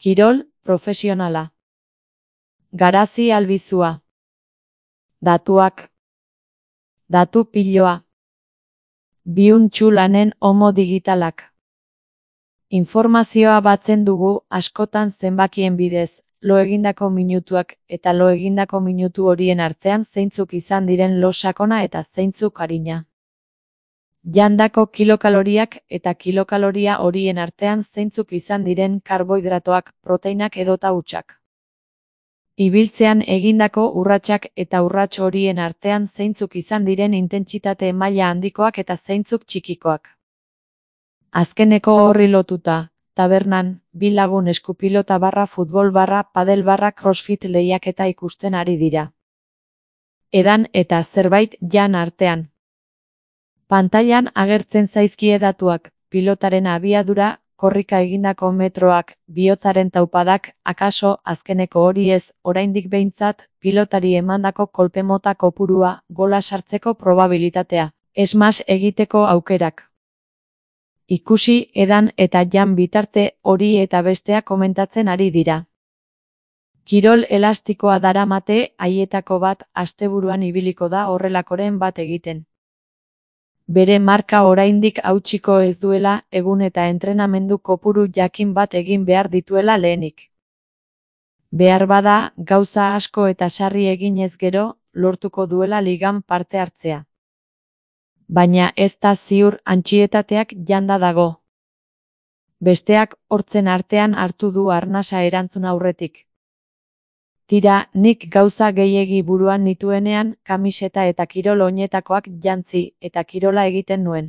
Kirol profesionala. Garazi albizua. Datuak. Datu piloa. Biuntxu lanen homo digitalak. Informazioa batzen dugu askotan zenbakien bidez, lo egindako minutuak eta lo egindako minutu horien artean zeintzuk izan diren lo sakona eta zeintzuk arina. Jandako kilokaloriak eta kilokaloria horien artean zeintzuk izan diren karbohidratoak, proteinak edota hutsak. Ibiltzean egindako urratsak eta urrats horien artean zeintzuk izan diren intentsitate maila handikoak eta zeintzuk txikikoak. Azkeneko horri lotuta, tabernan, bi lagun eskupilota barra futbol barra padel barra crossfit lehiaketa ikusten ari dira. Edan eta zerbait jan artean. Pantailan agertzen zaizkie datuak, pilotaren abiadura, korrika egindako metroak, bihotzaren taupadak, akaso, azkeneko hori ez, oraindik behintzat, pilotari emandako kolpe mota kopurua, gola sartzeko probabilitatea, smash egiteko aukerak. Ikusi, edan eta jan bitarte hori eta bestea komentatzen ari dira. Kirol elastikoa daramate haietako bat asteburuan ibiliko da horrelakoren bat egiten. Bere marka oraindik hautsiko ez duela egun eta entrenamendu kopuru jakin bat egin behar dituela lehenik. Behar bada, gauza asko eta sarri eginez gero, lortuko duela ligan parte hartzea. Baina ez da ziur antsietateak janda dago. Besteak hortzen artean hartu du arnasa erantzun aurretik. Tira, nik gauza gehiegi buruan nituenean, kamiseta eta kirol oinetakoak jantzi eta kirola egiten nuen.